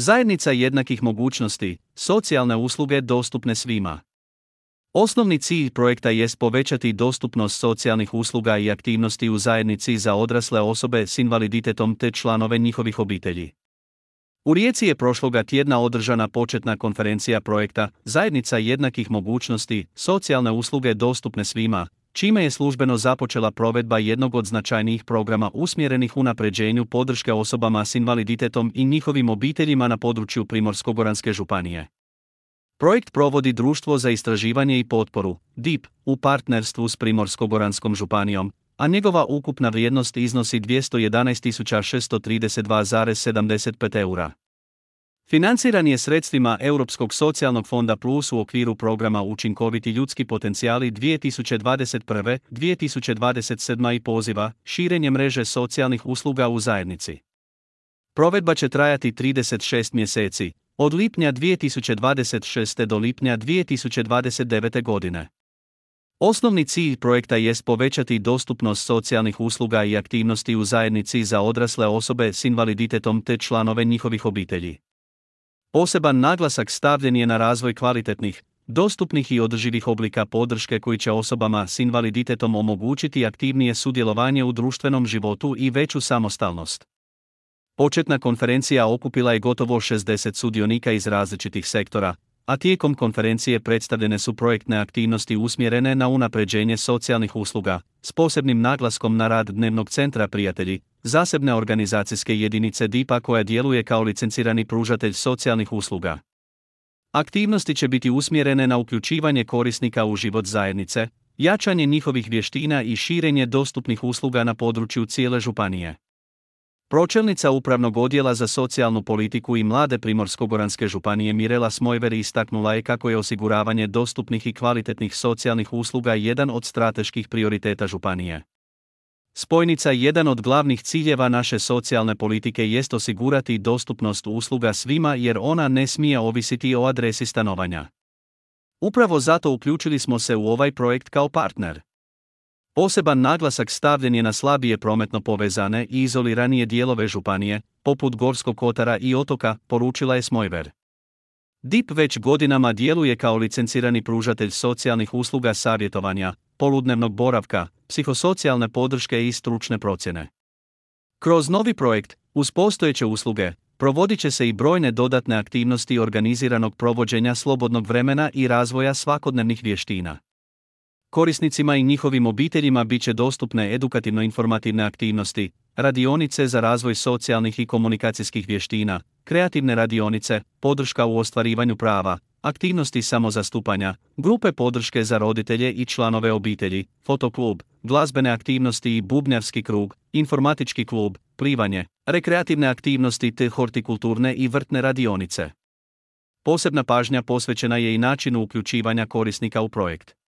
Zajednica jednakih mogućnosti, socijalne usluge dostupne svima. Osnovni cilj projekta jest povećati dostupnost socijalnih usluga i aktivnosti u zajednici za odrasle osobe s invaliditetom te članove njihovih obitelji. U Rijeci je prošloga tjedna održana početna konferencija projekta Zajednica jednakih mogućnosti, socijalne usluge dostupne svima, čime je službeno započela provedba jednog od značajnijih programa usmjerenih unapređenju podrške osobama s invaliditetom i njihovim obiteljima na području Primorsko-goranske županije. Projekt provodi Društvo za istraživanje i potporu, DIP, u partnerstvu s Primorsko-goranskom županijom, a njegova ukupna vrijednost iznosi 211.632,75 eura. Financiran je sredstvima Europskog socijalnog fonda Plus u okviru programa Učinkoviti ljudski potencijali 2021-2027 i poziva Širenje mreže socijalnih usluga u zajednici. Provedba će trajati 36 mjeseci, od lipnja 2026. do lipnja 2029. godine. Osnovni cilj projekta jest povećati dostupnost socijalnih usluga i aktivnosti u zajednici za odrasle osobe s invaliditetom te članove njihovih obitelji. Poseban naglasak stavljen je na razvoj kvalitetnih, dostupnih i održivih oblika podrške koji će osobama s invaliditetom omogućiti aktivnije sudjelovanje u društvenom životu i veću samostalnost. Početna konferencija okupila je gotovo 60 sudionika iz različitih sektora, a tijekom konferencije predstavljene su projektne aktivnosti usmjerene na unapređenje socijalnih usluga, s posebnim naglaskom na rad Dnevnog centra Prijatelji, zasebne organizacijske jedinice DIP-a koja djeluje kao licencirani pružatelj socijalnih usluga. Aktivnosti će biti usmjerene na uključivanje korisnika u život zajednice, jačanje njihovih vještina i širenje dostupnih usluga na području cijele županije. Pročelnica Upravnog odjela za socijalnu politiku i mlade Primorsko-goranske županije Mirela Smojver istaknula je kako je osiguravanje dostupnih i kvalitetnih socijalnih usluga jedan od strateških prioriteta županije. Spojnica jedan od glavnih ciljeva naše socijalne politike jest osigurati dostupnost usluga svima jer ona ne smije ovisiti o adresi stanovanja. Upravo zato uključili smo se u ovaj projekt kao partner. Poseban naglasak stavljen je na slabije prometno povezane i izoliranije dijelove županije, poput Gorskog kotara i otoka, poručila je Smojver. DIP već godinama djeluje kao licencirani pružatelj socijalnih usluga savjetovanja, poludnevnog boravka, psihosocijalne podrške i stručne procjene. Kroz novi projekt, uz postojeće usluge, provodit će se i brojne dodatne aktivnosti organiziranog provođenja slobodnog vremena i razvoja svakodnevnih vještina. Korisnicima i njihovim obiteljima bit će dostupne edukativno-informativne aktivnosti, radionice za razvoj socijalnih i komunikacijskih vještina, kreativne radionice, podrška u ostvarivanju prava, aktivnosti samozastupanja, grupe podrške za roditelje i članove obitelji, fotoklub, glazbene aktivnosti i bubnjarski krug, informatički klub, plivanje, rekreativne aktivnosti te hortikulturne i vrtne radionice. Posebna pažnja posvećena je i načinu uključivanja korisnika u projekt.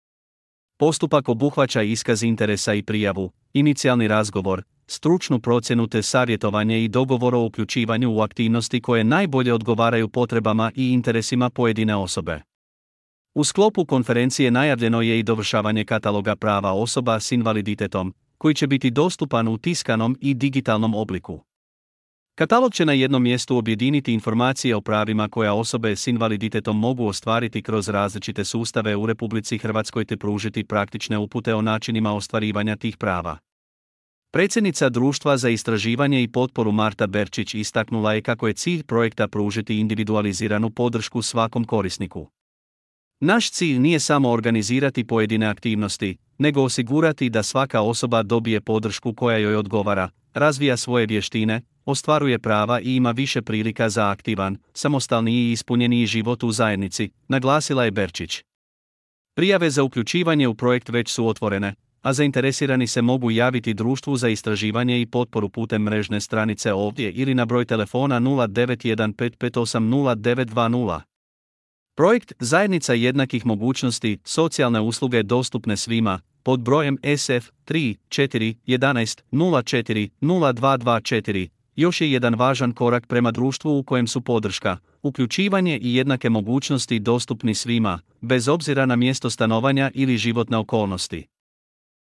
Postupak obuhvaća iskaz interesa i prijavu, inicijalni razgovor, stručnu procjenu te savjetovanje i dogovor o uključivanju u aktivnosti koje najbolje odgovaraju potrebama i interesima pojedine osobe. U sklopu konferencije najavljeno je i dovršavanje kataloga prava osoba s invaliditetom, koji će biti dostupan u tiskanom i digitalnom obliku. Katalog će na jednom mjestu objediniti informacije o pravima koja osobe s invaliditetom mogu ostvariti kroz različite sustave u Republici Hrvatskoj te pružiti praktične upute o načinima ostvarivanja tih prava. Predsjednica Društva za istraživanje i potporu Marta Berčić istaknula je kako je cilj projekta pružiti individualiziranu podršku svakom korisniku. Naš cilj nije samo organizirati pojedine aktivnosti, nego osigurati da svaka osoba dobije podršku koja joj odgovara, razvija svoje vještine, ostvaruje prava i ima više prilika za aktivan, samostalniji i ispunjeniji život u zajednici, naglasila je Berčić. Prijave za uključivanje u projekt već su otvorene, a zainteresirani se mogu javiti Društvu za istraživanje i potporu putem mrežne stranice ovdje ili na broj telefona 0915580920. Projekt Zajednica jednakih mogućnosti, socijalne usluge dostupne svima, pod brojem SF 3 4 11 04 0224, još je jedan važan korak prema društvu u kojem su podrška, uključivanje i jednake mogućnosti dostupni svima, bez obzira na mjesto stanovanja ili životne okolnosti.